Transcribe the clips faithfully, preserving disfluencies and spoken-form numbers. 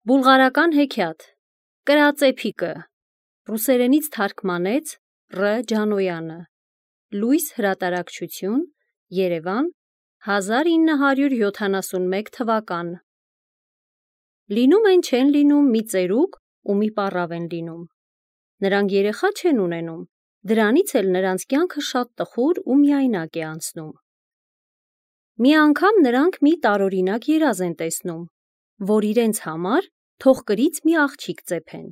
Բուլղարական հեքիաթ Կրածեփիկը ռուսերենից թարգմանեց Ռ. Ջանոյանը Լույս հրատարակչություն Երևան հազար ինը հարյուր յոթանասունմեկ թվական Լինում են չեն լինում մի ծերուկ ու մի պառավ են լինում Նրանք երեխա չեն ունենում Դրանից էլ նրանց կյանքը շատ տխուր ու միայնակ է անցնում Մի անգամ նրանք մի տարօրինակ երազ են տեսնում որ իրենց համար թող կրից մի աղջիկ ծեփեն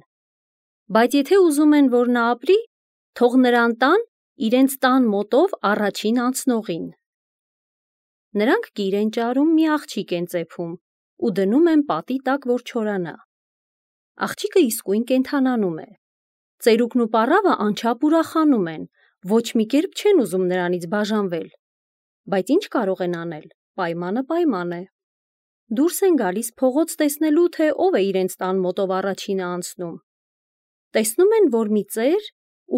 Բայց եթե ուզում են որ նա ապրի թող նրան տան իրենց տան մոտով առաջին անցնողին Նրանք կիր են ճարում մի աղջիկ են ծեփում ու դնում են պատի տակ որ չորանա Աղջիկը իսկույն կենդանանում է Ծերուկն ու պառավը անչափ ուրախանում են ոչ մի կերպ չեն ուզում նրանից բաժանվել Բայց ինչ կարող են անել պայմանը պայման է Դուրս են գալիս փողոց տեսնելու թե ով է իրենց տան մոտով առաջինը անցնում Տեսնում են որ մի ծեր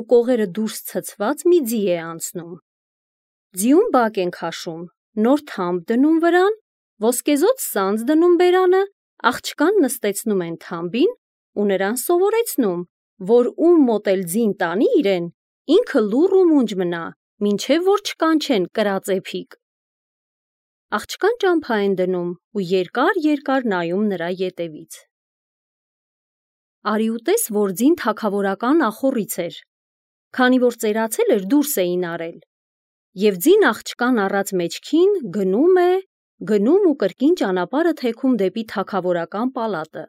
ու կողերը դուրս ցցված մի ձի է անցնում Ձիուն բակ են քաշում նոր թամբ դնում վրան ոսկեզօծ սանձ դնում բերանը աղջկան նստեցնում են թամբին ու նրան սովորեցնում որ ում մոտ էլ ձին տանի իրեն ինքը լուռ ու մունջ մնա մինչև որ չկանչեն կրածեփիկ Աղջկան ճամփա են դնում ու երկար-երկար նայում նրա ետևից Արի ու տես որ ձին թագավորական ախոռից էր Քանի որ ծերացել էր դուրս էին արել Եվ ձին աղջկան առած մեջքին գնում է Գնում ու կրկին ճանապարհը թեքում դեպի թագավորական պալատը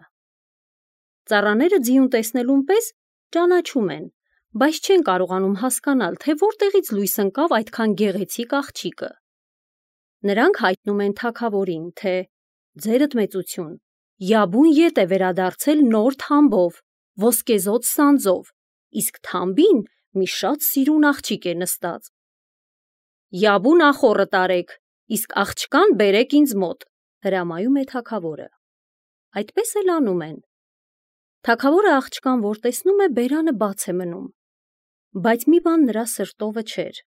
Ծառաները ձիուն տեսնելուն պես ճանաչում են Բայց չեն կարողանում հասկանալ թե որտեղից լույս ընկավ այդքան գեղեցիկ աղջիկը Նրանք հայտնում են թագավորին թե ձերդ մեծություն Յաբուն ետ է վերադարձել նոր թամբով ոսկեզօծ սանձով իսկ թամբին մի շատ սիրուն աղջիկ է նստած Յաբուն ախոռը տարեք իսկ աղջկան բերեք ինձ մոտ հրամայում է թագավորը Այդպես էլ անում են Թագավորը աղջկան որ տեսնում է բերանը բաց է մնում Բայց մի բան նրա սրտովը չէր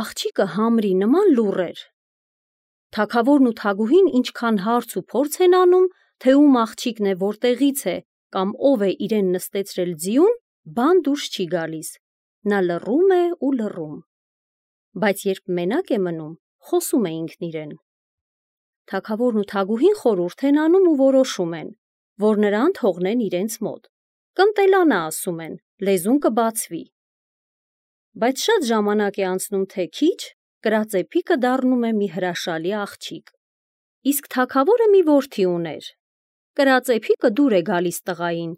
Աղջիկը համրի նման լուռ էր Թագավորն ու թագուհին ինչքան հարց ու փորձ են անում թե ում աղջիկն է որտեղից է կամ ով է իրեն նստեցրել ձիուն բան դուրս չի գալիս Նա լռում է ու լռում Բայց երբ մենակ է մնում խոսում է ինքն իրեն Թագավորն ու թագուհին խորհուրդ են անում ու որոշում են որ նրան թողնեն իրենց մոտ Կընտելանա ասում են լեզուն կբացվի Բայց շատ ժամանակ է անցնում թե քիչ Կրածեփիկը դառնում է մի հրաշալի աղջիկ Իսկ թագավորը մի որդի ուներ Կրածեփիկը դուր է գալիս տղային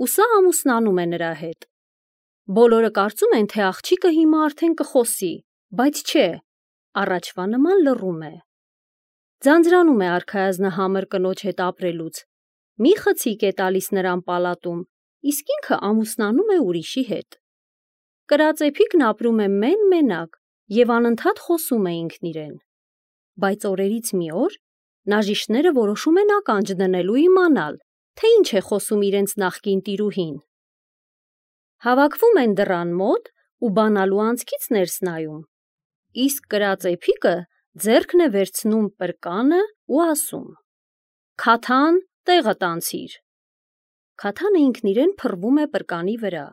ու սա ամուսնանում է նրա հետ Բոլորը կարծում են թե աղջիկը հիմա արդեն կխոսի Բայց չէ առաջվա նման լռում է Ձանձրանում է արքայազնահամր կնոջ հետ ապրելուց Մի խցիկ է տալիս նրան պալատում Իսկ ինքը ամուսնանում է ուրիշի հետ Կրածեփիկն ապրում է մեն-մենակ Եվ անընդհատ խոսում է ինքն իրեն Բայց օրերից մի օր Նաժիշտները որոշում են ականջ դնել ու իմանալ Թե ինչ է խոսում իրենց նախկին տիրուհին Հավաքվում են դռան մոտ ու բանալու անցքից ներս նայում Իսկ կրածեփիկը ձեռքն է վերցնում պրկանը ու ասում Քաթան տեղդ անցիր Քաթանը ինքն իրեն փռվում է պրկանի վրա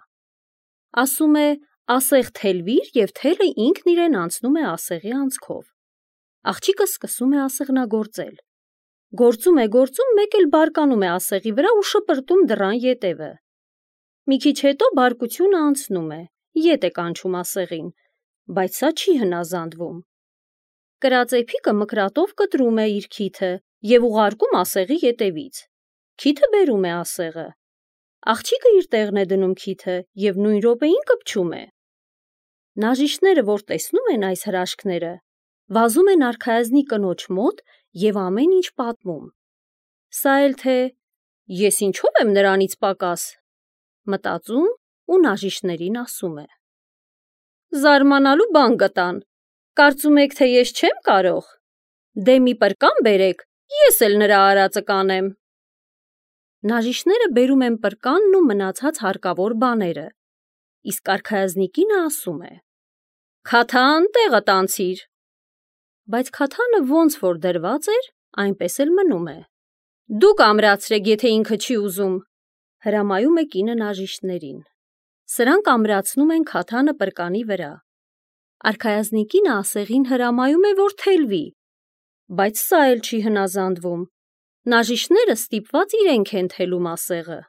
Ասում է ասեղ թելվիր և թելը ինքն իրեն անցնում է ասեղի անցքով Աղջիկը սկսում է ասեղնագործել Գործում է գործում մեկ էլ բարկանում է ասեղի վրա ու շպրտում դռան ետևը Մի քիչ հետո բարկությունը անցնում է Ետ է կանչում ասեղին Բայց սա չի հնազանդվում Կրածեփիկը մկրատով կտրում է իր քիթը և ուղարկում ասեղի ետևից Քիթը բերում է ասեղը Աղջիկը իր տեղն է դնում քիթը և նույն րոպեին կպչում է Նաժիշտները որ տեսնում են այս հրաշքները Վազում են արքայազնի կնոջ մոտ և ամեն ինչ պատմում Սա էլ թե ես ինչով եմ նրանից պակաս Մտածում ու նաժիշտներին ասում է Զարմանալու բան գտան Կարծում եք թե ես չեմ կարող Դե մի պրկան բերեք ես էլ նրա արածը կանեմ Նաժիշտները բերում են պրկանն ու մնացած հարկավոր բաները Իսկ արքայազնի կինը ասում է Քաթան տեղդ անցիր Բայց քաթանը ոնց որ դրված էր այնպես էլ մնում է Դուք ամրացրեք, եթե ինքը չի ուզում, հրամայում է կինը նաժիշտներին։ Սրանք ամրացնում են քաթանը պրկանի վրա։ Արքայազնի կինը ասեղին հրամայում է, որ թելվի, բայց սա էլ չի հնազանդվում։ Նաժիշտները ստիպված իրենք են թելում ասեղը։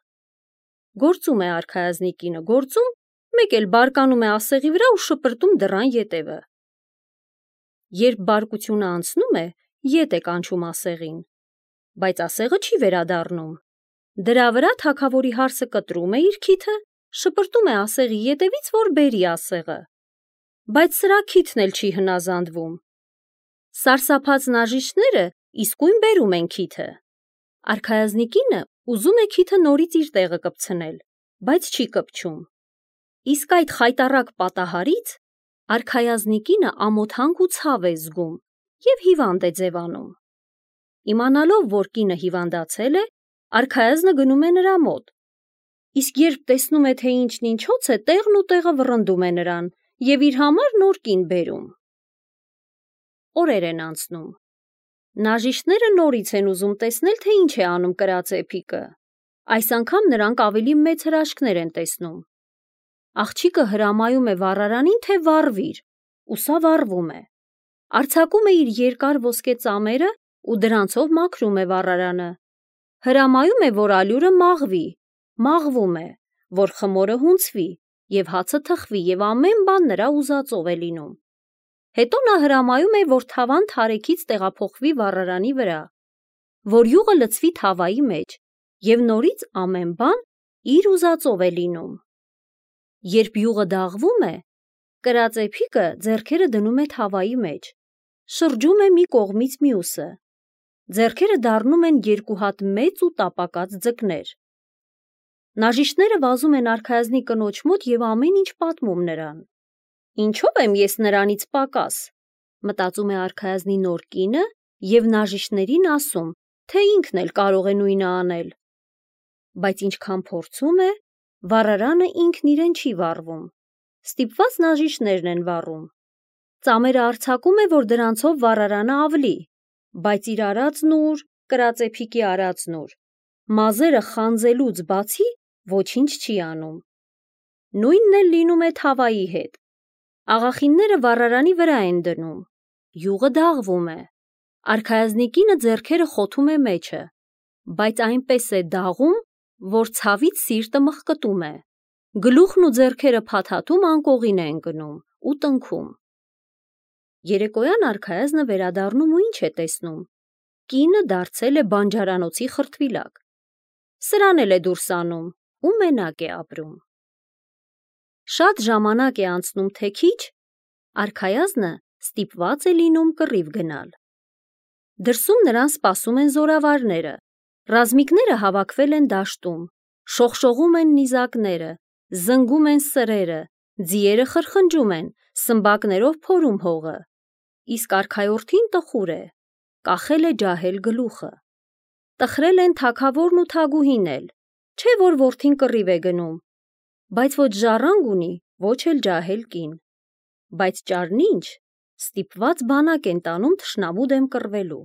Գործում է արքայազնի կինը, գործում, մեկ էլ բարկանում է ասեղի վրա ու շպրտում դռան ետևը։ Երբ բարկությունը անցնում է, ետ է կանչում ասեղին, բայց ասեղը չի վերադառնում։ Դրա վրա թագավորի հարսը կտրում է իր քիթը, շպրտում է ասեղի ետևից, որ բերի ասեղը, բայց սրա քիթն էլ չի հնազանդվում։ Սարսափած նաժիշտները իսկույն բերում են քիթը։ Արքայազնի կինը ուզում է քիթը նորից իր տեղը կպցնել, բայց չի կպչում։ Իսկ այդ խայտառակ պատահարից արքայազնի կինը ամոթանք ու ցավ է զգում և հիվանդ է ձևանում։ Իմանալով, որ կինը հիվանդացել է, արքայազնը գնում է նրա մոտ, իսկ երբ տեսնում է, թե ինչն ինչոց է, տեղն ու տեղը վռնդում է նրան և իր համար նոր կին բերում։ Օրեր են անցնում։ Նաժիշտները նորից են ուզում տեսնել, թե ինչ է անում կրած էփիկը։ Այս անգամ նրանք ավելի մեծ հրաշքներ են տեսնում։ Աղջիկը հրամայում է վառարանին, թե վառվիր, ու սա վառվում է։ Արձակում է իր երկար ոսկե ծամերը ու դրանցով մաքրում է վառարանը։ Հրամայում է, որ ալյուրը մաղվի, մաղվում է, որ խմորը հունցվի և հացը թխվի և ամեն բան նրա ուզածով է լինում։ Հետո նա հրամայում է, որ թավան թարեքից տեղափոխվի վառարանի վրա, որ յուղը լցվի թավայի մեջ և նորից ամեն բան իր ուզածով է լինում։ Երբ յուղը դաղվում է, կրած էփիկը ձեռքերը դնում է թավայի մեջ, շրջում է մի կողմից մյուսը, ձեռքերը դառնում են երկու հատ մեծ ու տապակած ձկներ։ Նաժիշտները վազում են արքայազնի կնոջ մոտ և ամեն ինչ պատմում նրան։ Ինչո՞վ եմ ես նրանից պակաս, մտածում է արքայազնի նոր կինը և նաժիշտներին ասում, թե ինքն էլ կարող է նույնը անել։ Բայց ինչքան փորձում է, վառարանը ինքն իրեն չի վառվում, ստիպված նաժիշտներն են վառում։ Ծամերը արձակում է, որ դրանցով վառարանը ավլի, բայց իր արածն ուր, կրած էփիկի արածն ուր, մազերը խանձելուց բացի ոչինչ չի անում։ Նույնն էլ լինում է թավայի հետ։ Աղախինները վառարանի վրա են դնում, յուղը դաղվում է, արքայազնի կինը ձեռքերը խոթում է մեջը, բայց այնպես է դաղում, որ ցավից սիրտը մխկտում է, գլուխն ու ձեռքերը փաթաթում անկողին է ընկնում ու տնքում։ Երեկոյան արքայազնը վերադառնում ու ինչ է տեսնում։ Կինը դարձել է բանջարանոցի խրտվիլակ։ Սրան էլ է դուրս անում ու մենակ է ապրում։ Շատ ժամանակ է անցնում, թե քիչ, արքայազնը ստիպված է լինում կռիվ գնալ։ Դրսում նրան սպասում են զորավարները, ռազմիկները հավաքվել են դաշտում, շողշողում են նիզակները, զնգում են սրերը, ձիերը խրխնջում են, սմբակներով փորում հողը, իսկ արքայորդին տխուր է, կախել է ջահել գլուխը։ Տխրել են թագավորն ու թագուհին էլ, չէ որ որդին կռիվ է գնում, բայց ոչ ժառանգ ունի, ոչ էլ ջահել կին, բայց ճարնինչ ստիպված բանակ են տանում թշնամու դեմ կռվելու։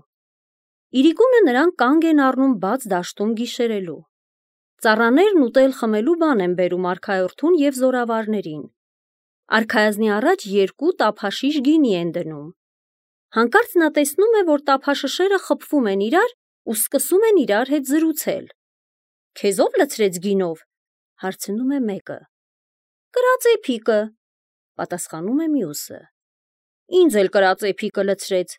Իրիկունը նրանք կանգ են առնում բաց դաշտում գիշերելու։ Ծառաներն ուտել խմելու բան են բերում արքայորդուն և զորավարներին։ Արքայազնի առաջ երկու տափաշիշ գինի են դնում։ Հանկարծ նա տեսնում է, որ տափաշշերը խփվում են իրար ու սկսում են իրար հետ զրուցել։ Քեզ ով լցրեց գինով, հարցնում է մեկը։ Կրած էփիկը, պատասխանում է մյուսը։ Ինձ էլ կրած էփիկը լցրեց,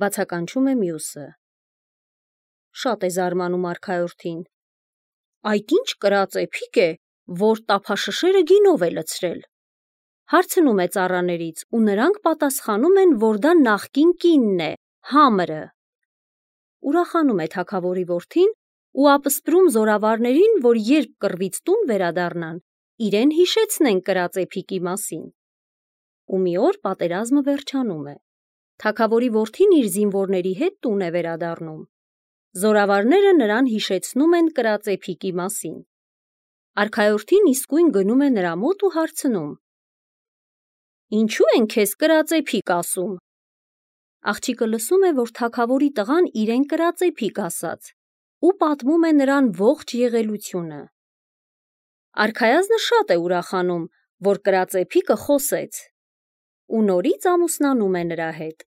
բացականչում է մյուսը։ Շատ է զարմանում արքայորդին։ Այդ ինչ կրած էփիկ է, որ տափաշշերը գինով է լցրել։ Հարցնում է ծառաներից ու նրանք պատասխանում են, որ դա նախկին կինն է, Համրը։ Ուրախանում է թագավորի որդին ու ապսպրում զորավարներին, որ երբ կռվից տուն վերադառնան, իրեն հիշեցնեն կրած էփիկի մասին։ Ու մի օր պատերազմը վերջանում է։ Թագավորի որդին իր զինվորների հետ տուն է վերադառնում։ Զորավարները նրան հիշեցնում են կրած էփիկի մասին։ Արքայորդին իսկույն գնում է նրա մոտ ու հարցնում. Ինչու են քեզ կրած էփիկ ասում։ Աղջիկը լսում է, որ թագավորի տղան իրեն կրած էփիկ ասաց ու պատմում է նրան ողջ եղելությունը։ Արքայազնը շատ է ուրախանում, որ կրածեփիկը խոսեց ու նորից ամուսնանում է նրա հետ։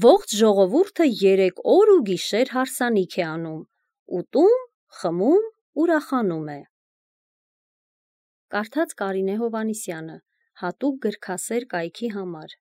Ողջ ժողովուրդը երեք օր ու գիշեր հարսանիք է անում, ուտում, խմում, ուրախանում է։ Կարդաց Կարինե Հովհաննիսյանը, հատուկ գրքասեր կայքի համար։